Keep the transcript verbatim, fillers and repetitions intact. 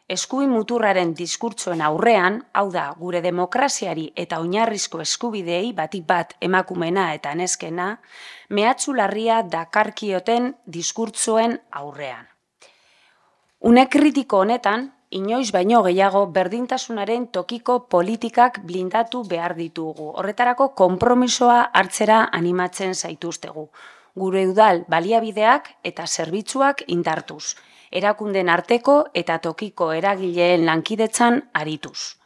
eskuin muturraren diskurtsoen aurrean, hau da, gure demokraziari eta oinarrizko eskubideei batik bat emakumena eta neskena, mehatxu larria dakarkioten diskurtsoen aurrean. Une kritiko honetan, inoiz baino gehiago berdintasunaren tokiko politikak blindatu behar ditugu. Horretarako konpromisoa hartzera animatzen zaituztegu. Gure udal baliabideak eta zerbitzuak indartuz. Erakunden arteko eta tokiko eragileen lankidetzan arituz.